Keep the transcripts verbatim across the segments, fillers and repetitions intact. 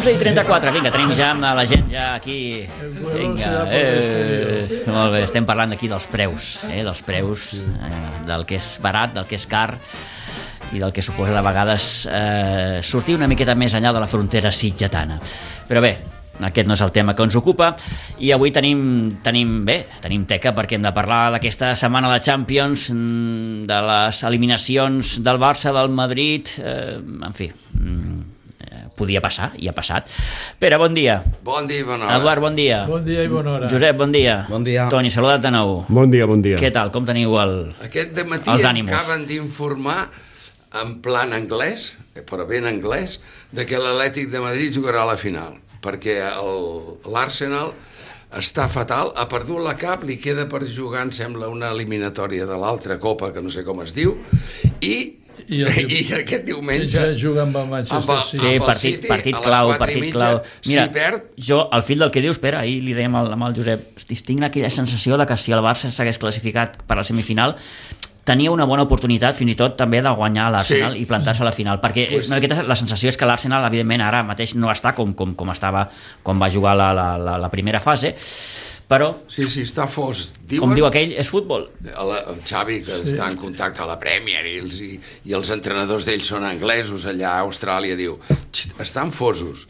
onze i trenta-quatre, vinga, tenim ja la gent ja aquí. Vinga, eh, molt bé, estem parlant aquí dels preus, eh, dels preus, eh, del que és barat, del que és car i del que suposa de vegades eh, sortir una miqueta més enllà de la frontera sitgetana. Però bé, aquest no és el tema que ens ocupa i avui tenim, tenim bé, tenim teca perquè hem de parlar d'aquesta setmana de Champions, de les eliminacions del Barça, del Madrid, eh, en fi, podia passar, i ha passat. Pere, bon dia. Bon dia i bona hora. Eduard, bon dia. Bon dia i bona hora. Josep, bon dia. Bon dia. Toni, saluda't de nou. Bon dia, bon dia. Què tal, com teniu el, Aquest dematí els ànims? acaben d'informar en plan anglès, però ben anglès, de que l'Atlètic de Madrid jugarà a la final, perquè l'Arsenal està fatal, ha perdut la cap, li queda per jugar, em sembla, una eliminatòria de l'altra copa, que no sé com es diu, i I, el, I aquest diumenge juga amb el Manchester City. Sí, partit, partit clau, partit clau. Mira, si perd... jo, al fil del que dius, espera, ahir li dèiem amb el Josep, tinc aquella sensació de que si el Barça s'hagués classificat per a la semifinal, tenia una bona oportunitat fins i tot també de guanyar l'Arsenal sí. i plantar-se a la final, perquè pues... la sensació és que l'Arsenal evidentment ara mateix no està com, com, com estava quan va jugar la, la, la, la primera fase, però sí, sí, està fos. Diuen, com diu aquell, és futbol. El, el Xavi, que sí. està en contacte a la Premier i els, i, i els entrenadors d'ells són anglesos allà a Austràlia, diu, estan fosos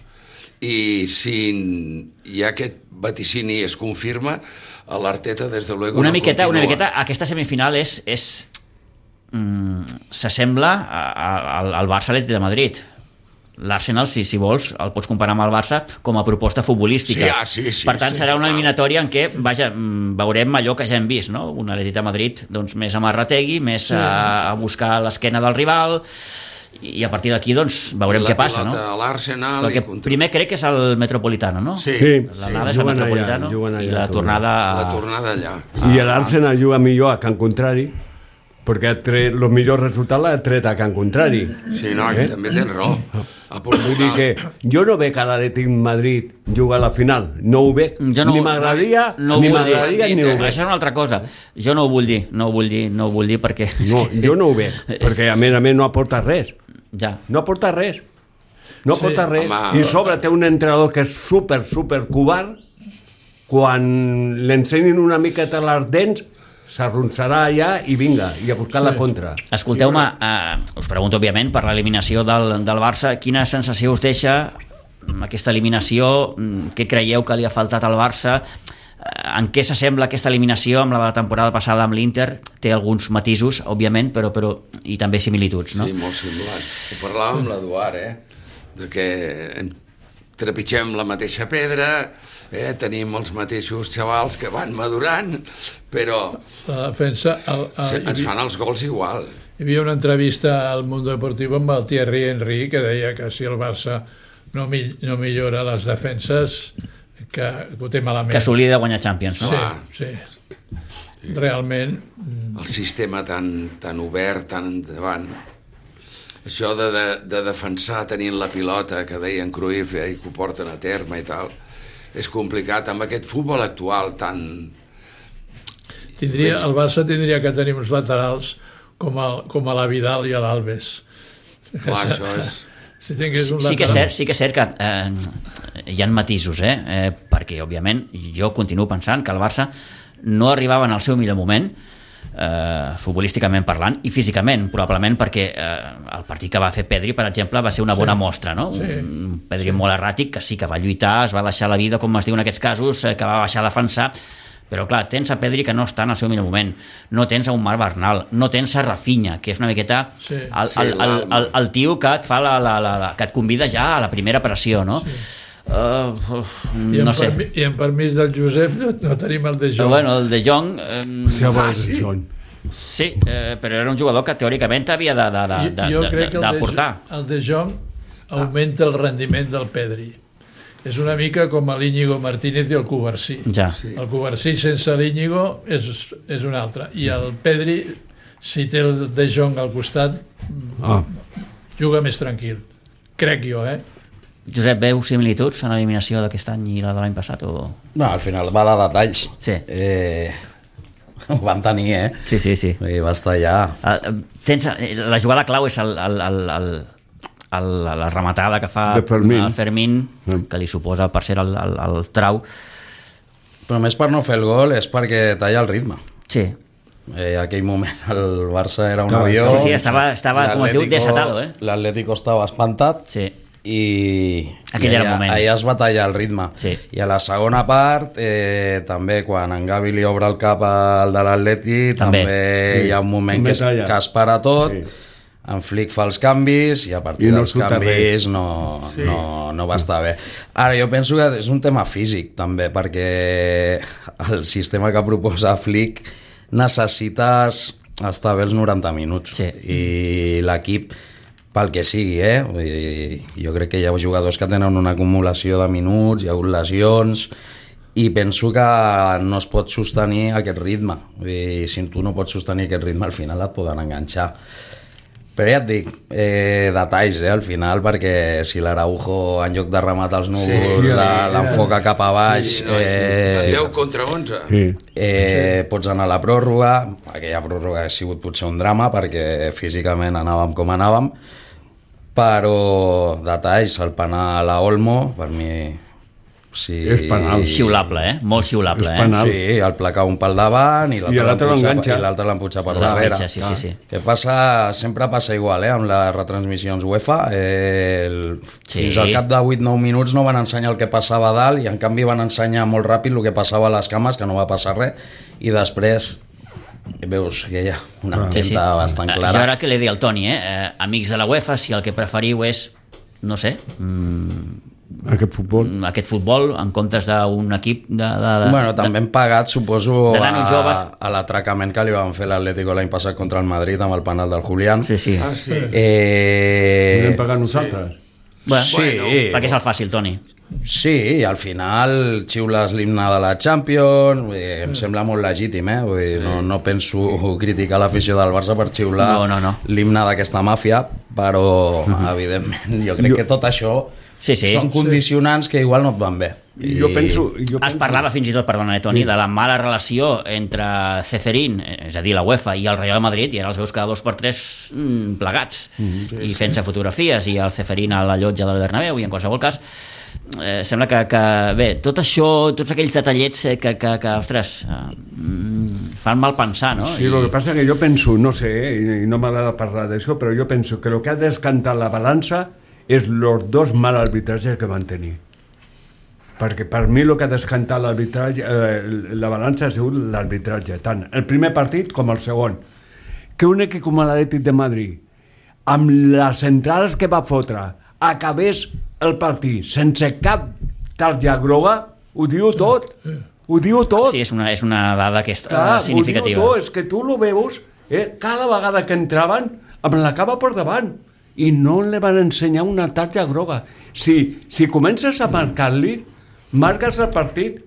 i si hi ha aquest vaticini es confirma, l'Arteta des de luego una no miqueta, continua. Una miqueta aquesta semifinal és, és mm, s'assembla al, al Barça Atlètic de Madrid. L'Arsenal, si, si vols, el pots comparar amb el Barça com a proposta futbolística. Sí, ah, sí, sí, per tant, sí, serà una sí, eliminatòria en què vaja, veurem allò que ja hem vist, no? Un Atlètic de Madrid doncs, més amarrategui, més sí. a, a buscar l'esquena del rival, i a partir d'aquí doncs, veurem què passa. No? L'Arsenal el que contra... primer crec que és el Metropolitano, no? Sí, sí. L'anada sí. és el Metropolitano allà, allà, i la tornada... La tornada allà. I l'Arsenal juga millor a Can Contrari, perquè el millor resultat l'ha tret a Can Contrari. Sí, no, eh? també tens raó. Vull dir que jo no veig que l'Atlètic Madrid juga a la final, no ho veig, no, ni m'agradaria no, no ni m'agradaria ni ho veig. Això és una altra cosa, jo no ho vull dir, no ho vull dir, no ho vull dir perquè... No, jo no ho veig, perquè a més a més no aporta res, ja. no aporta res, no sí, aporta res, home, i sobre té un entrenador que és super, super covard, quan l'ensenyin una miqueta les dents, s'arronsarà allà i vinga, i a buscar sí. la contra. Escolteu-me, eh, us pregunto, òbviament, per l'eliminació del, del Barça, quina sensació us deixa aquesta eliminació? Què creieu que li ha faltat al Barça? En què s'assembla aquesta eliminació amb la de la temporada passada amb l'Inter? Té alguns matisos, òbviament, però, però i també similituds, no? Sí, molt semblants. Ho parlàvem amb l'Eduard, eh? De que trepitgem la mateixa pedra, eh? Tenim els mateixos xavals que van madurant, però la defensa, el, el, se, ens fan els gols igual. Hi havia una entrevista al Mundo Deportivo amb el Thierry Henry que deia que si el Barça no, mi, no millora les defenses, que, que ho té malament. Que s'oblida de guanyar Champions, no? Sí, sí. sí. Realment... El sistema tan, tan obert, tan endavant. Això de, de, de defensar tenint la pilota, que deien Cruyff, eh, i que ho porten a terme i tal, és complicat amb aquest futbol actual tan... Tindria, el Barça tindria que tenir uns laterals com, el, com a la Vidal i a l'Alves. Clar, això és... Si tingués un sí, que és cert, sí que és cert que eh, hi ha matisos, eh? eh? perquè òbviament jo continuo pensant que el Barça no arribava en el seu millor moment, eh, futbolísticament parlant i físicament, probablement perquè eh, el partit que va fer Pedri, per exemple, va ser una bona sí. mostra, no? Sí. Un Pedri sí. molt erràtic, que sí que va lluitar, es va deixar la vida, com es diu en aquests casos, eh, que va baixar a defensar, però clar, tens a Pedri que no està en el seu millor moment, no tens a un Marc Bernal, no tens a Rafinha, que és una miqueta sí, el, sí, el, el, el, el tio que et fa la, la, la, la, que et convida ja a la primera pressió, no? Sí. Uh, uh, I, no en sé. permi, I en permís del Josep no, no tenim el De Jong. Però bueno, el De Jong... Um, Hòstia, ah, sí? Sí, eh, però era un jugador que teòricament havia de, de, de, de, jo crec que d'aportar. El De Jong augmenta el rendiment del Pedri. és una mica com l'Íñigo Martínez i el Covarsí. Ja. Sí. El Covarsí sense l'Íñigo és, és un altre. I el Pedri, si té el De Jong al costat, ah. juga més tranquil. Crec jo, eh? Josep, veu similituds en l'eliminació d'aquest any i la de l'any passat? O... No, al final va de detalls. Sí. Eh, ho van tenir, eh? Sí, sí, sí. I va estar allà. Uh, tens, la jugada clau és el, el, el, el, el, la rematada que fa Fermín. el Fermín, que li suposa per ser el, el, el trau. Però més per no fer el gol és perquè talla el ritme. Sí. Eh, aquell moment el Barça era un Clar, avió. Sí, sí, estava, estava com es diu, desatado, eh? L'Atlético estava espantat. Sí. i, Aquell i era el allà, moment. allà es va tallar el ritme. Sí. I a la segona part, eh, també quan en Gavi li obre el cap al de l'Atleti, també, també Sí. hi ha un moment També que es, talla. que es para tot, Sí. en Flick fa els canvis i a partir I no dels surta canvis no, sí. no, no va estar bé. Ara, jo penso que és un tema físic també, perquè el sistema que proposa Flick necessites estar bé els noranta minuts. Sí. I l'equip, pel que sigui, eh? Vull dir, jo crec que hi ha jugadors que tenen una acumulació de minuts, hi ha hagut lesions, i penso que no es pot sostenir aquest ritme. Vull dir, si tu no pots sostenir aquest ritme, al final et poden enganxar. Però ja et dic, eh, detalls, eh, al final, perquè si l'Araujo en lloc de rematar els núvols Sí, sí, l'enfoca cap a baix, Sí, no, eh, deu contra onze. Sí. Eh, pots anar a la pròrroga. Aquella pròrroga ha sigut potser un drama perquè físicament anàvem com anàvem, però detalls, el penal a Olmo per mi sí, És penal. Xiulable, eh? Molt xiulable, És eh? penal. sí, el placar un pel davant i I l'altre l'empuja l'enganxa. i l'altre l'empuja per L'enganxa, darrere. sí, sí, sí. Que passa, sempre passa igual, eh, amb les retransmissions UEFA. Eh, el, Sí. Fins al cap de vuit nou minuts no van ensenyar el que passava a dalt i en canvi van ensenyar molt ràpid el que passava a les cames, que no va passar res, i després veus que hi ha una Sí, empenta sí. bastant Eh, clara. Jo ara que li dic al Toni, eh? eh? Amics de la UEFA, si el que preferiu és, no sé, mm, Aquest futbol. aquest futbol en comptes d'un equip de... de, de Bueno, també hem pagat, suposo, de nanos joves. a, a l'atracament que li van fer l'Atlético l'any passat contra el Madrid amb el penal del Julián. Sí, sí. Ah, sí. Eh... Hem pagat nosaltres. Bueno, Sí. perquè és el fàcil, Toni. Sí, i al final xiules l'himne de la Champions, vull dir, em sembla molt legítim, eh? Vull dir, no, no penso criticar l'afició del Barça per xiular No, no, no. l'himne d'aquesta màfia, però evidentment jo crec Jo- que tot això Sí, sí. són condicionants que igual no et van bé. I jo penso... Jo Es penso... parlava fins i tot, perdona, eh, Toni, de la mala relació entre Ceferín, és a dir, la UEFA, i el Real Madrid, i ara els veus cada dos per tres mm, plegats, mm, i fent-se fotografies, i el Ceferín a la llotja del Bernabéu, i en qualsevol cas, eh, sembla que, que, bé, tot això, tots aquells detallets eh, que, que, que ostres, eh, mm, fan mal pensar, no? Sí, el que passa que jo penso, no sé, eh, i no m'agrada parlar d'això, però jo penso que el que ha descantat la balança és els dos mal arbitratges que van tenir. Perquè per mi el que ha descantat l'arbitratge, eh, la balança ha sigut l'arbitratge, tant el primer partit com el segon. Que un equip com l'Atlètic de Madrid, amb les centrals que va fotre, acabés el partit sense cap tarja groga, ho diu tot. Ho diu tot. Sí, és una, és una dada que és Clar, eh, significativa. ho diu tot, és que tu lo veus, eh, cada vegada que entraven amb la cama per davant i no li van ensenyar una tarja groga. Si, si comences a marcar-li, marques el partit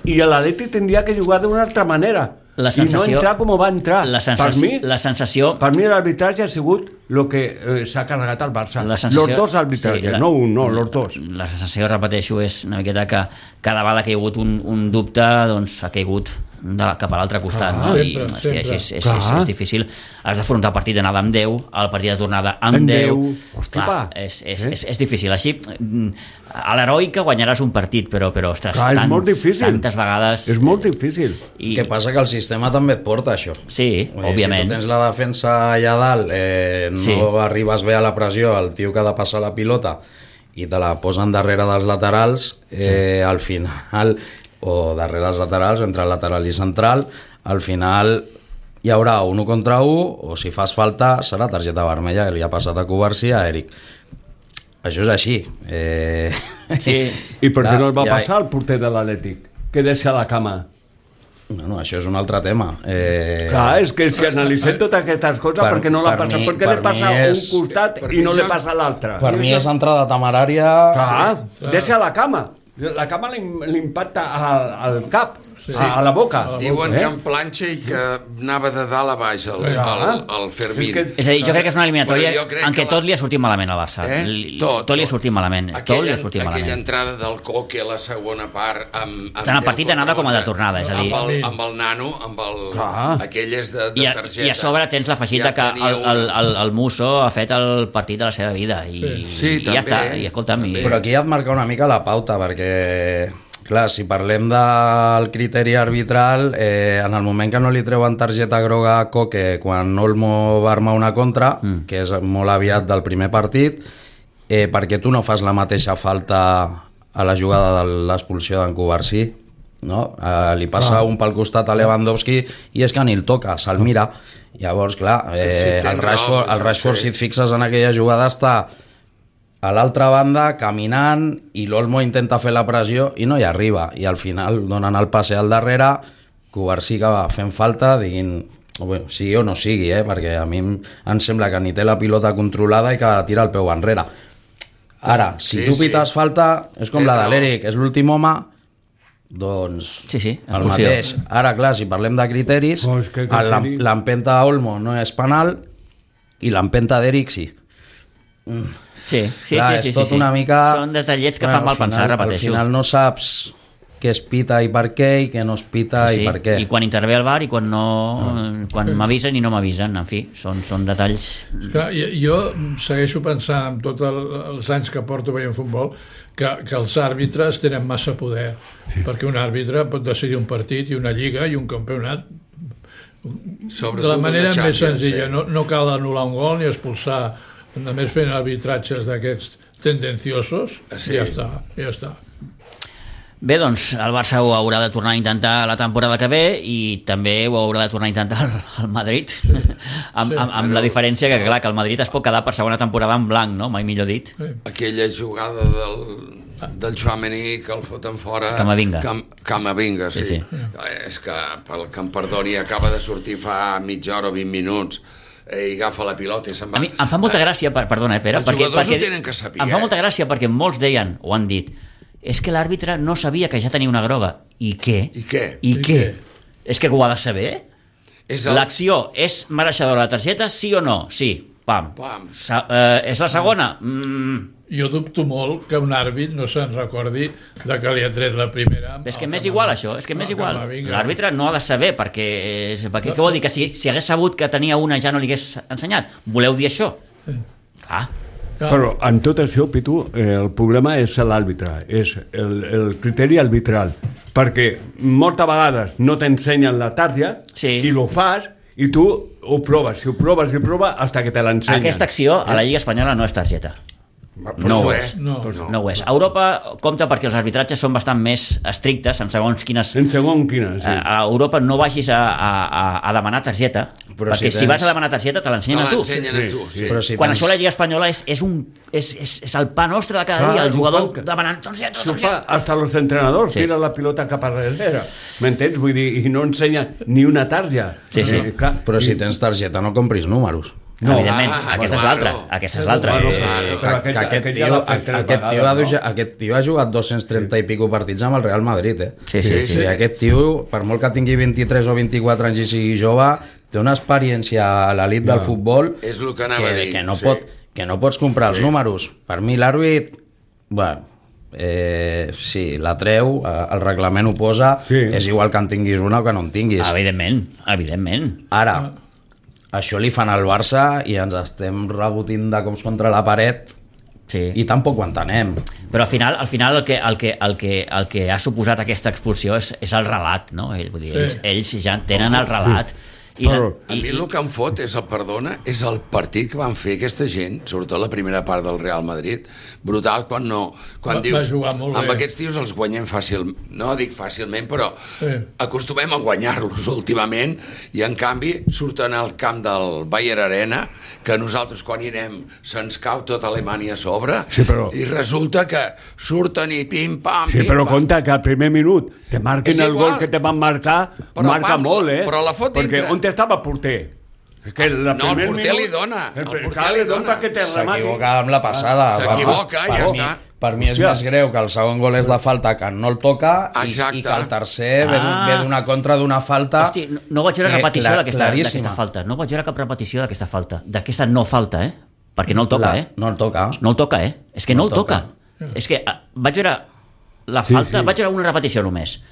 i l'Atleti tindria que jugar d'una altra manera La sensació- i no entrar com va entrar. La per sensació, mi, la sensació per mi l'arbitratge ha sigut el que eh, s'ha carregat al Barça. La sensació- Los dos arbitratges, sí, la- no un, no, los dos. La sensació, repeteixo, és una miqueta que cada vegada que hi ha hagut un, un dubte, doncs ha caigut de, cap a l'altre costat. Clar, no? I sempre, hosti, sempre. així és, és, Clar. és, és difícil. Has d'afrontar el partit d'anada amb deu, el partit de tornada amb Amb deu. deu. Hosti, Clar, pa. és, és, Eh? és, és difícil. Així, mm, a l'heroica guanyaràs un partit, però, però ostres, Clar, és tants, molt difícil. tantes vegades... És molt difícil. I, Què passa? Que el sistema també et porta això. Sí, Vull dir, òbviament. Si tu tens la defensa allà dalt, eh, no Sí. arribes bé a la pressió, el tio que ha de passar la pilota i te la posen darrere dels laterals, eh, sí. al final, o darrere els laterals, entre lateral i central, al final hi haurà un u contra u, o si fas falta serà targeta vermella, que li ha passat a Covarsí a Eric. Això és així. Eh... Sí. I per què Clar, no el va ja- passar al porter de l'Atlètic? Que deixa la cama. Bueno, això és un altre tema. Eh... Clar, és que si analitzem totes aquestes coses, Per- perquè no la per passa, mi- perquè per li passa mi a un és- costat per i mi no li ja- passa a l'altre. Per mi és entrada temerària... Clar, deixa la cama. La cama li, li impacta al, al cap, sí. a, a la boca. Diuen eh? que en planxa i que anava de dalt a baix el, el, el, el Fermín. És que- És a dir, jo crec que és una eliminatòria Bueno, jo crec en què que la- tot li ha sortit malament al Barça. Eh? Li- Tot, tot li ha tot. sortit malament. Tot li Aquella, ha sortit aquella malament. entrada del Coque a la segona part amb, amb Tant el deu partit d'anada com el de contra tornada, és a dir- amb el, amb el nano, amb el, Clar. aquell és de, de I a, targeta. I a sobre tens l'afegit Ja de que tenia el, el, una- el, el Musso ha fet el partit de la seva vida i, Sí, i ja també, està, i escolta'm i, Però aquí ja et marca una mica la pauta, perquè, clar, si parlem del criteri arbitral, eh, en el moment que no li treuen targeta groga a Coque quan Olmo va armar una contra, mm. que és molt aviat del primer partit, eh, perquè tu no fas la mateixa falta a la jugada de l'expulsió d'en Covarsí, no? Eh, li passa ah. un pel costat a Lewandowski i és que ni el toca, se'l mira. Llavors, clar, eh, Sí, tens el Rashford, raó, el Rashford sí. si et fixes en aquella jugada, està a l'altra banda, caminant, i l'Olmo intenta fer la pressió i no hi arriba. I al final donen el passe al darrere, Covarsí que va fent falta, diguin, bueno, sigui o no sigui, eh? Perquè a mi em, em sembla que ni té la pilota controlada i que tira el peu enrere. Ara, si Sí, tu sí. pites falta, és com Té la de raó. l'Eric, és l'últim home, doncs Sí, sí, el expulsió. mateix. Ara, clar, si parlem de criteris, Oh, és que el- criteri- l'empenta a Olmo no és penal i l'empenta d'Eric sí. sí, sí, Clar, sí, és sí, sí, tot sí. una mica... Són detallets que Bueno, fan mal al final- pensar, repeteixo. Al final no saps què es pita i per què i què no es pita Sí, sí. i per què. I quan intervé el bar i quan no, quan m'avisen i no m'avisen, en fi, són, són detalls. Clar, jo, jo segueixo pensant amb tots el, els anys que porto veient futbol que, que els àrbitres tenen massa poder, sí. perquè un àrbitre pot decidir un partit i una lliga i un campionat Sobretot de la manera una més Champions, senzilla. sí. No, no cal anul·lar un gol ni expulsar, només fent arbitratges d'aquests tendenciosos, Sí. i ja està, ja està. Bé, doncs el Barça ho haurà de tornar a intentar la temporada que ve i també ho haurà de tornar a intentar el, el Madrid, sí. amb, Sí. amb, amb la diferència que, clar, que el Madrid es pot quedar per segona temporada en blanc, no? Mai millor dit. Sí. Aquella jugada del, del Tchouaméni que el foten fora... Camavinga. Cam, Camavinga, sí. Sí, sí. És que pel que em perdoni acaba de sortir fa mitja hora o vint minuts eh, i agafa la pilota i se'n va. A mi em fa molta gràcia, per, perdona, eh, Pere, Els perquè, jugadors ho perquè tenen que saber, em fa eh? molta gràcia perquè molts deien, o han dit, és que l'àrbitre no sabia que ja tenia una groga. I què? I què? I, I què? què? És que ho ha de saber? És el... L'acció és mereixedora de targeta, sí o no? Sí. Pam. Pam. Sa eh, és la segona? Mm. Jo dubto molt que un àrbit no se'n recordi de que li ha tret la primera. És que al m'és Camavinga. igual això, és que m'és Al igual. Camavinga. L'àrbitre no ha de saber perquè, perquè què vol dir? Que si, si hagués sabut que tenia una ja no li hagués ensenyat. Voleu dir això? Ah, Clar. Però en tot això, Pitu, eh, el problema és l'àrbitre, és el, el criteri arbitral, perquè moltes vegades no t'ensenyen la tarja Sí. i ho fas i tu ho proves, i ho proves i ho proves fins que te l'ensenyen. aquesta acció a la Lliga Espanyola no és targeta. No ho és. No. No ho és. A Europa compta perquè els arbitratges són bastant més estrictes en segons quines... En segon quina, sí. A Europa no vagis a, a, a demanar targeta, Però perquè si si, tens- vas a demanar targeta te Te l'ensenyen a tu. l'ensenyen a tu, sí. Però si Quan tens- això a la Lliga Espanyola és, és, un, és, és, és el pa nostre de cada Clar, dia, el ho jugador fan que- demanant targeta, Això fa targeta. hasta los entrenadors, Sí. sí. Tira la pilota cap a darrere, m'entens? Vull dir, i no ensenya ni una tarja. Sí, sí. Eh, clar, Però si i- tens targeta no compris números. No, evidentment, Ah, aquesta és claro. l'altra. Aquesta és l'altra. Bueno, Eh, claro. Que, Però aquest- que aquest, aquest ja tio, l'ha fet tres aquest, tio ha, vegades, no? aquest tio ha jugat dos-cents trenta i pico partits amb el Real Madrid, eh? Sí, sí, sí. I aquest tio, per molt que tingui vint-i-tres o vint-i-quatre anys i sigui jove, té una experiència a l'elit del futbol És el que anava que, a dir, que, no sí. pot, que no pots comprar els Sí. números. Per mi l'àrbit, bueno, eh, sí, la treu, eh, el reglament ho posa, Sí. és igual que en tinguis una o que no en tinguis. Evidentment, evidentment. Ara, això li fan al Barça i ens estem rebotint de cops contra la paret Sí. i tampoc ho entenem. Però al final, al final el, que, el, que, el, que, el que ha suposat aquesta expulsió és, és el relat, no? Ell, vull dir, Sí. ells, ells ja tenen el relat I, la, A mi el que em fot és el perdona, és el partit que van fer aquesta gent, sobretot la primera part del Real Madrid, brutal quan no, quan Va, dius, va jugar molt amb bé. aquests tios els guanyem fàcil, no dic fàcilment, però Sí. acostumem a guanyar-los últimament, i en canvi surten al camp del Bayer Arena, que nosaltres quan hi anem se'ns cau tota Alemanya a sobre, Sí, però- i resulta que surten i pim-pam, Sí, pim-pam. però compte que al primer minut te marquen És el igual. gol que te van marcar, Però, marca Pablo, molt, eh? però la fot Perquè dintre. on estava el porter? És que el No, el primer porter minut- li dona, el porter clar, li dona. perquè te remati. S'equivoca amb la passada. S'equivoca, Per- ja per mi- està. Per mi és Hòstia. més greu que el segon gol és de falta, que no el toca, i, Exacte. i que el tercer ve, Ah. ve d'una contra d'una falta. Hosti, no, no vaig veure que repetició cla- d'aquesta claríssima. d'aquesta falta. No vaig veure cap repetició d'aquesta falta. D'aquesta no falta, eh? Perquè no el toca, La- eh? No el toca. No el toca, eh? És que no, No el el toca. toca. És que eh, vaig veure la Sí, falta, sí. vaig veure una repetició només.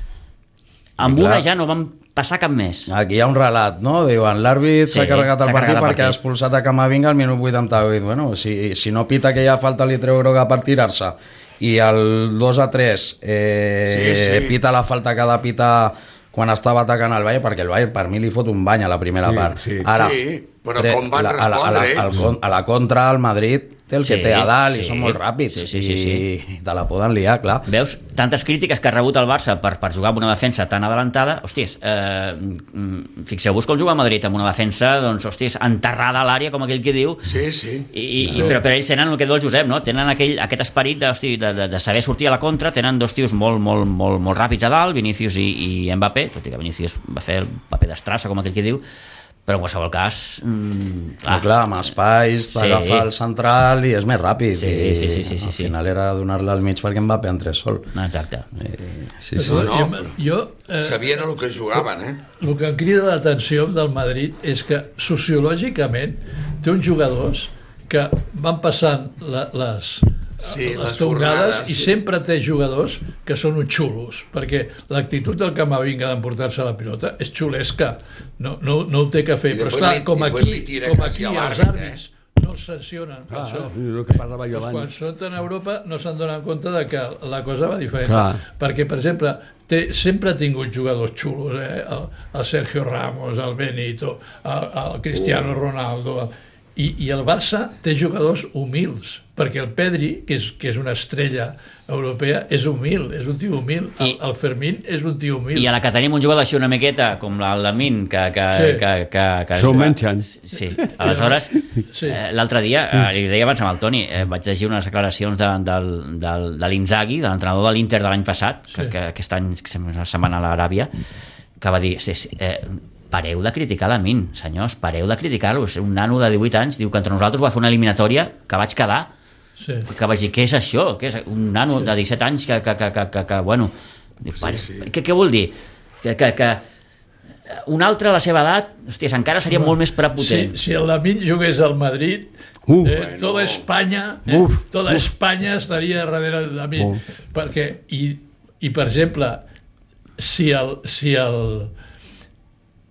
Amb clar. una ja no vam passar cap més. Aquí hi ha un relat, no? Diuen, l'àrbit Sí, s'ha carregat el s'ha partit carregat el perquè ha partit. expulsat a Camavinga al minut vuitanta-vuit. Bueno, si, si no pita aquella falta li treu groga per tirar-se, i el dos a tres eh, Sí, sí. pita la falta que ha de pitar quan estava atacant el Bayern, perquè el Bayern per mi li fot un bany a la primera Sí, part. sí. Ara, Sí, però tre- com van la- a la, a la, respondre al ells? con- a la contra, el Madrid té el que Sí, té a dalt sí. i són molt ràpids, Sí, sí, sí, sí. i te la poden liar, clar. Veus? Tantes crítiques que ha rebut el Barça per, per jugar amb una defensa tan adelantada. Hòsties, eh, mm, fixeu-vos com juga el Madrid amb una defensa, doncs, hòsties, enterrada a l'àrea, com aquell que diu. Sí, sí. I, i, però, però ells tenen el que diu el Josep, no? Tenen aquell, aquest esperit de, hosti, de, de, de saber sortir a la contra, tenen dos tios molt, molt, molt, molt ràpids a dalt, Vinícius i, i Mbappé, tot i que Vinícius va fer el paper d'estrassa, com aquell que diu, però en qualsevol cas... Mm, Clar, clar, amb espais, t'agafa Sí. el central i és més ràpid. Sí, I sí, sí, sí, sí, al sí. final era donar-la al mig perquè Mbappé entrés sol. Exacte. Eh, sí, sí. Jo, No, jo, jo eh, Sabien el que jugaven, eh? el que em crida l'atenció del Madrid és que sociològicament té uns jugadors que van passant la, les, Sí, les les tornades fornades, i sí. sempre té jugadors que són uns xulos, perquè l'actitud del Camavinga d'emportar-se la pilota és xulesca, no, no, no ho té que fer, I però després esclar, li- com després aquí, li tira com quasi aquí a els l'àrbit, àrbits no els sancionen per Ah, això. és el que parlava jo Doncs quan abans. són a Europa no s'han donat compte de que la cosa va diferent. Clar. Perquè, per exemple, té, sempre ha tingut jugadors xulos, eh? el, el Sergio Ramos, el Benito, el, el Cristiano Ronaldo, i, i el Barça té jugadors humils, perquè el Pedri, que és, que és una estrella europea, és humil, és un tio humil. El, I- el Fermín és un tio humil. I a la que tenim un jugador així una miqueta, com el Lamin, que... que, Sí. que, que, que S'ho mengen. Sí, aleshores, Sí. eh, l'altre dia, eh, li deia abans amb el Toni, eh, vaig llegir unes declaracions de, del, del, de l'Inzaghi, de l'entrenador de l'Inter de l'any passat, que, Sí. que aquest any se'n va anar a l'Aràbia, que va dir, sí, sí, eh, pareu de criticar Lamin, senyors, pareu de criticar-lo, és un nano de divuit anys, diu que entre nosaltres va fer una eliminatòria que vaig quedar, Sí. que vaig dir, què és això? Què és un nano de disset anys que, que, que, que, que, que bueno, dic, Sí, pare, sí. Què, què vol dir? Que, que, que un altre a la seva edat, hòsties, encara seria molt més Si, prepotent. si el Lamin jugués al Madrid, Uh, eh, bueno. toda Espanya, eh, Uf, toda uf. Espanya estaria darrere del Lamin, Uf. perquè i, i per exemple, si el si el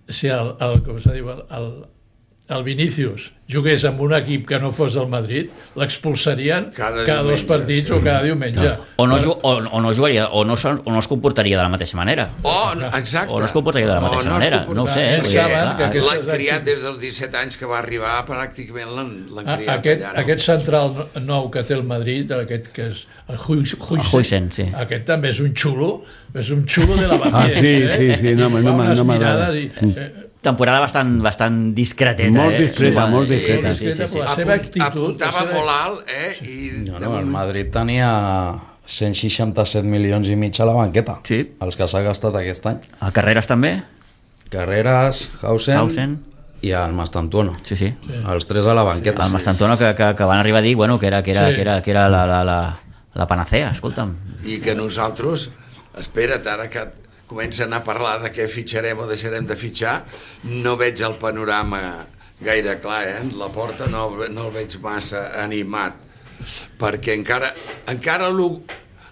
si el, el com se diu el, el, el Vinícius jugués amb un equip que no fos del Madrid, l'expulsarien Cada cada, dos diumenge, partits sí. o cada diumenge. O no, ju- o, o no jugaria, o no, son- o no es comportaria de la mateixa manera. O, exacte. O no es comportaria de la mateixa O no es manera, no ho sé, comportaria. eh, Perquè saben que aquestes l'han criat actituds- des dels disset anys que va arribar, pràcticament l'han l'han A- criat Aquest, allà. No? aquest central no- nou que té el Madrid, aquest que és el Huijsen, El Huijsen, sí. aquest també és un xulo, és un xulo de la Ah, Bamiens, sí, eh? sí, sí, no, I no, fa no, unes no m'agrada. mirades i, eh, Temporada bastant, bastant discreteta. Molt eh? discreta, Sí, molt sí, discreta. Sí, sí, sí, sí. La seva Apunt- actitud, Apuntava la seva- molt alt, eh? I No, no, el Madrid tenia cent seixanta-set milions i mig a la banqueta, Sí. els que s'ha gastat aquest any. A Carreras també? Carreras, Hausen, Hausen. i el Mastantuono. Sí, sí. Els tres a la banqueta. El Mastantuono que, que, que van arribar a dir bueno, que era, que era, Sí. que era, que era la, la, la, la panacea, escolta'm. i que nosaltres, espera't, ara que comencen a parlar de què fitxarem o deixarem de fitxar, no veig el panorama gaire clar, eh? La porta no, no el veig massa animat, perquè encara, encara lo,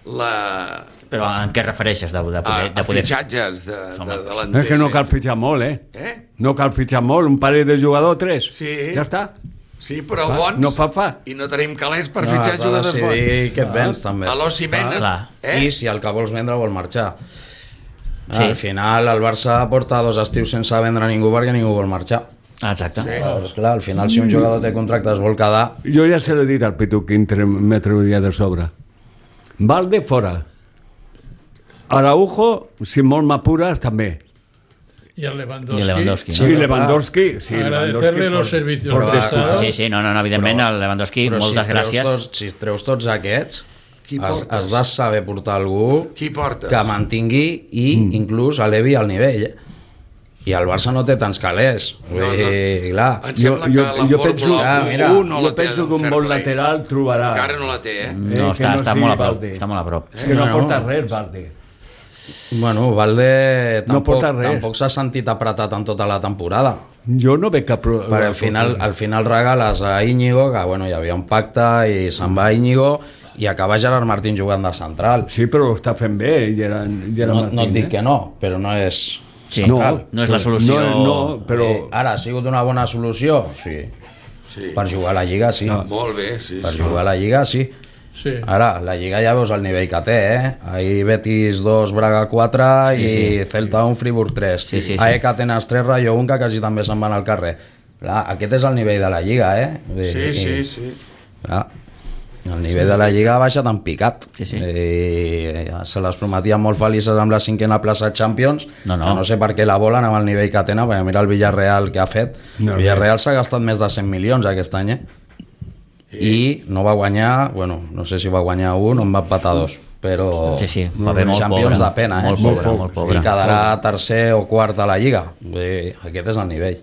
la, Però en què refereixes de, de a, poder... a De poder... fitxatges de, Home, de, de És l'Entesa. que no cal fitxar molt, eh? Eh? No cal fitxar molt, un parell de jugadors, tres. Sí. Ja està. Sí, però Ah, bons. no fa fa. I no tenim calés per No, fitxar has de jugadors bons. decidir què et vens, també. A l'Oci venen, clar. eh? I si el que vols vendre vol marxar. Sí. Al final el Barça porta dos estius sense vendre ningú perquè ningú vol marxar. Exacte. Sí. Pues clar, al final si un jugador té contracte es vol quedar. Jo ja se l'he dit al Pitu quin me trauria de sobre. Valde fora. Araujo, si molt m'apures, també. Y el Lewandowski. I Lewandowski, Sí, no? Sí, Lewandowski. Sí, Agradecerle los servicios por prestados. Sí, sí, no, no, no evidentment, el Lewandowski, Però moltes si treus gràcies. Tots, si treus tots aquests, Qui has, portes? has de saber portar algú Qui portes? que mantingui i mm. inclús elevi el nivell. Eh? I el Barça no té tants calés. Vull No, no. dir, clar. Em sembla Jo- que jo- la jo Fórmula penso- Ah, mira, un no jo la té penso que un fair bon play. lateral trobarà. Encara no la té, eh? No, Eh, que està, no està sigui molt a prop. Valde. Està molt a prop. És que no, No, porta no. res, Valde. Bueno, Valde No tampoc, porta res. tampoc s'ha sentit apretat en tota la temporada. Jo no veig cap... pro- Perquè al final, al final regales a Íñigo, que bueno, hi havia un pacte i se'n va Íñigo, i acaba Gerard Martín jugant de central. Sí, però ho està fent bé, i era, i era No, Martín, no et dic eh? que no, però no és... Sí, No, no és la solució. No, no, però... Eh, ara, ha sigut una bona solució? Sí. Sí. Per jugar a la Lliga, sí. No. Molt bé, sí, Per sí. jugar a la Lliga, sí. Sí. Ara, la Lliga ja veus el nivell que té, eh? Ahir Betis dos, Braga quatre Sí, i sí. Celta un, Friburg tres. Sí, sí, sí. A E C Atenas tres, Rayo un, que quasi també se'n van al carrer. Clar, aquest és el nivell de la Lliga, eh? Vull dir, Sí, sí, i- sí. Clar, el nivell de la Lliga ha baixat en picat. Sí, sí. I se les prometien molt felices amb la cinquena plaça Champions, No, no. que no sé per què la volen amb el nivell que tenen, perquè mira el Villarreal que ha fet. No, el Villarreal s'ha gastat més de cent milions aquest any, eh? I no va guanyar, bueno, no sé si va guanyar un o en va empatar dos, però Sí, sí, va bé molt Champions pobre. de pena, eh? Molt pobre, molt pobre. I quedarà tercer o quart a la Lliga. Vull dir, aquest és el nivell.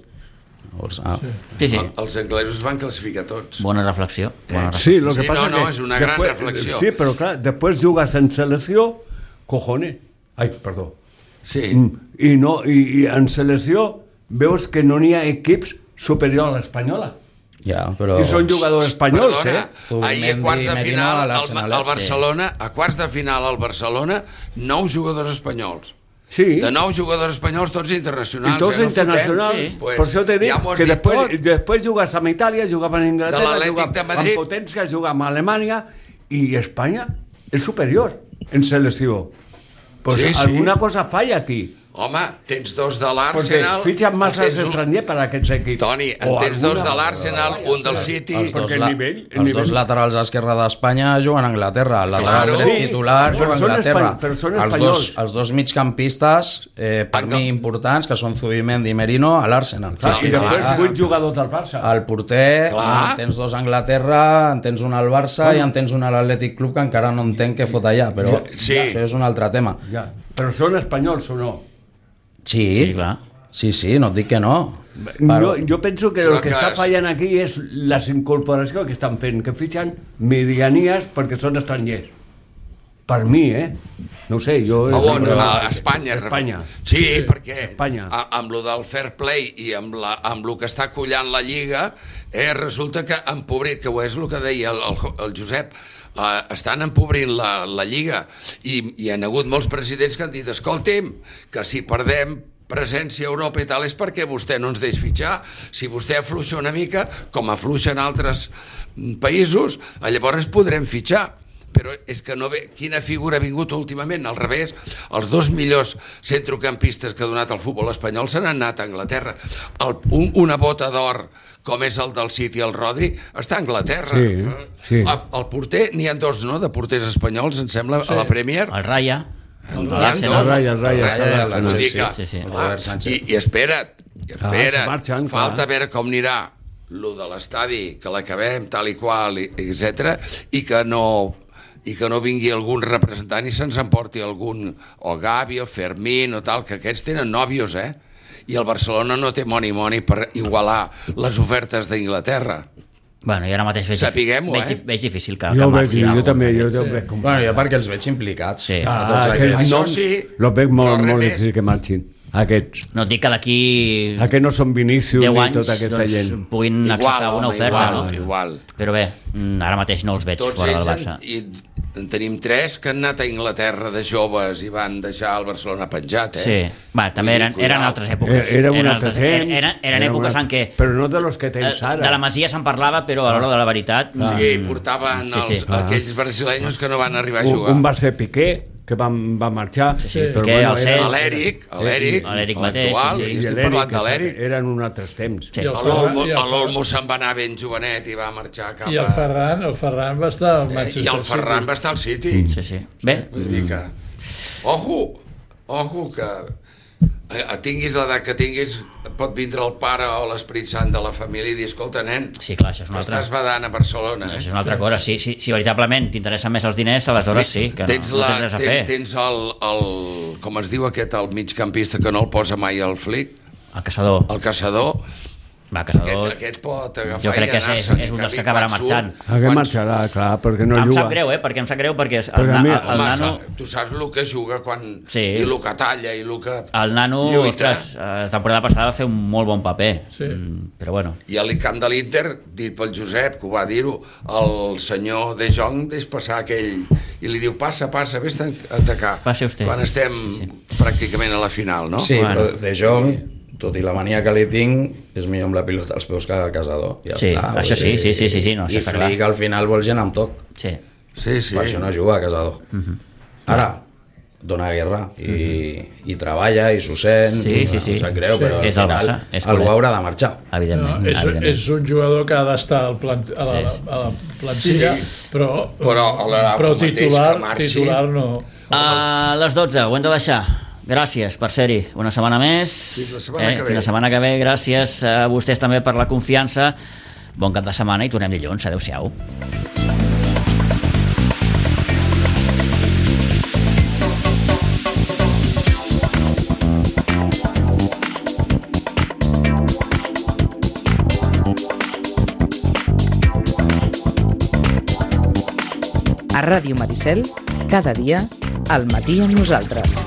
Llavors, ah, Sí, sí, Els anglesos van classificar tots. bona reflexió. Bona reflexió. Sí, lo que Sí, pasa no, no, que és una gran después- reflexió. Sí, però clar, després jugues en selecció, cojones. Ai, perdó. Sí. Mm, I, no, i, i en selecció veus que no n'hi ha equips superior a l'espanyola. ja, però... I són jugadors espanyols, Perdona, eh? ahir a quarts de Zubimendi, final Medina, al, l'Arsenal, al eh? Barcelona, a quarts de final al Barcelona, nou jugadors espanyols. Sí. De nou jugadors espanyols, tots internacionals. I tots eh, no internacionals. fotem? Sí. Pues, Per això t'he dit ja m'ho has que dit després, tot. després jugues amb Itàlia, jugaven a De Inglaterra, l'Atlètic jugaven de Madrid. amb potència, jugaven amb Alemanya, i Espanya és superior en selecció. Pues Sí, sí. alguna cosa falla aquí. Home, tens dos de Perquè l'Arsenal... fitxen massa tens un- estrangers per a aquests equips. Toni, en O tens dos alguna- de l'Arsenal, un del City... Els dos, Perquè el la, nivell- el els nivell- dos laterals a esquerra d'Espanya juguen a Anglaterra. El lateral Claro. dret Sí, titular però juga a són Anglaterra. espany- però són els, espanyols. dos, els dos migcampistes, eh, per Angle- mi importants, que són Zubimendi i Merino, a l'Arsenal. Clar, Sí, I sí, després sí. vuit jugadors del Barça. El porter, Clar. en tens dos a Anglaterra, en tens un al Barça i en tens un a l'Atlètic Club, que encara no entenc què fot allà, però Sí. això és un altre tema. Ja. Però són espanyols o no? Sí, Sí, clar. sí, sí, no et dic que no. Jo, jo penso que Però el que que està és- fallant aquí és les incorporacions que estan fent, que fitxen medianies perquè són estrangers. Per mi, eh? No ho sé, jo... A on? però- A Espanya. Espanya. Sí, perquè Espanya. a, amb lo del fair play i amb, la, amb lo que està collant la Lliga, eh, resulta que empobrit, que ho és el que deia el, el, el Josep, Uh, estan empobrint la, la Lliga i hi ha hagut molts presidents que han dit escolti'm, que si perdem presència a Europa i tal és perquè vostè no ens deix fitxar, si vostè afluixa una mica com afluixen altres països, llavors podrem fitxar. Però és que no ve... Quina figura ha vingut últimament? Al revés, els dos millors centrocampistes que ha donat el futbol espanyol s'han anat a Anglaterra. El, un, una bota d'or com és el del City, el Rodri, està a Anglaterra. Sí, sí. El, el porter, n'hi ha dos, no?, de porters espanyols, em sembla, sí. a la Premier. El Raya. El l'Arsenal. El Raya, el Raya, Raya, el Raya, Raya, vull dir sí, que, sí, sí. clar, Robert Sánchez. I, i espera't, i espera't, Ah, marxen, falta clar. veure com anirà lo de l'estadi, que l'acabem tal i qual, i- etcètera, i que no i que no vingui algun representant i se'ns emporti algun, o Gavi o Fermín o tal, que aquests tenen nòvios, eh? I el Barcelona no té money money per igualar les ofertes d'Inglaterra. Bueno, i ara mateix veig, Sapiguem-ho, veig, eh? veig difícil que, Jo, que ho veig, marxi jo algú. també, jo també veig com... Bueno, jo perquè els veig implicats. Sí. A Ah, tots aquests aquests. Això noms sí, los veig però molt, res molt més. difícil que marxin. Aquests. No et dic que d'aquí A que no són Vinícius deu ni anys tota aquesta doncs, gent. puguin igual, acceptar una home, oferta. igual, no? igual. Però bé, mm, ara mateix no els veig Tots fora del ells, Barça. en, i en tenim tres que han anat a Inglaterra de joves i van deixar el Barcelona penjat, eh? Sí, va, també Vull dir, eren, eren cuidao. altres èpoques. Eh, Era un eren, altre altres- temps. eren, eren era èpoques una- en què Però no de los que eh, tens ara. de la Masia se'n parlava, però a l'hora de la veritat... Sí, portaven Sí, sí. els, aquells brasileños que no van arribar a Un, jugar. un va ser Piqué, que va, va marxar. Sí, sí. Però Que el era- Cesc- L'Eric, l'Eric, l'Eric mateix, l'actual, sí, sí. i i estic l'Eric, parlant de que l'Eric. eren un altres temps. Sí. I el L'Olmo Ferran, i el, l'Olmo se'n va anar ben jovenet i va marxar cap i el a... Ferran, el Ferran va estar al Eh, Manchester I el Ferran City. va estar al City. Sí, sí. Bé, Vull dir que... Ojo, ojo, que eh, tinguis l'edat que tinguis, pot vindre el pare o l'Esperit Sant de la família i dir, escolta, nen, sí, clar, això és que una altra... estàs badant a Barcelona, Això és eh? una altra cosa. Si, si, si veritablement t'interessen més els diners, aleshores sí, que no, tens, no la, tens res a tens, fer. tens el, el, com es diu aquest, el migcampista que no el posa mai al flic, El caçador. el caçador, Va, aquest, caçador... aquest pot agafar Jo crec i que és, és, anar-se'n, és un i dels que canvi acabarà quan marxant. surt, Aquest quan marxarà, clar, perquè no Em juga. sap greu, eh? Perquè em sap greu perquè el, Perquè a mi- el, el Home, nano... sa- tu saps el que juga quan, Sí. i el que talla i el que El nano, lluita. ostres, eh, la temporada passada va fer un molt bon paper. Sí. Mm, però bueno, I a l'Icamp de l'Inter, dit pel Josep, que ho va dir-ho, el senyor De Jong deix passar aquell... I li diu, passa, passa, vés-te a atacar. Passi usted. Quan estem Sí, pràcticament a la final, no? Sí, Bueno. però De Jong, tot i la mania que li tinc, és millor amb la pilota als peus que el caçador. Ja Sí, està, això sí, vull dir, sí, sí, sí, sí, no, I això està clar. Flick al final vol gent amb toc. sí. Sí, sí. Per això no juga a caçador. Ara, dona guerra i, i treballa i s'ho sent. Sí, sí, sí. Em sap greu, Sí. però al És del final Barça, és algú culé. haurà de marxar. No, Evidentment, és, evidentment. és un jugador que ha d'estar al plant, a, la, Sí, sí. a la plantilla, Sí. però, Però alhora però el mateix titular, que marxi. titular no. A les dotze, ho hem de deixar. Gràcies per ser-hi una setmana més. Fins la setmana que ve. Fins la setmana que ve. Gràcies a vostès també per la confiança. Bon cap de setmana i tornem dilluns. Adéu-siau. A Ràdio Maricel, cada dia, al matí amb nosaltres.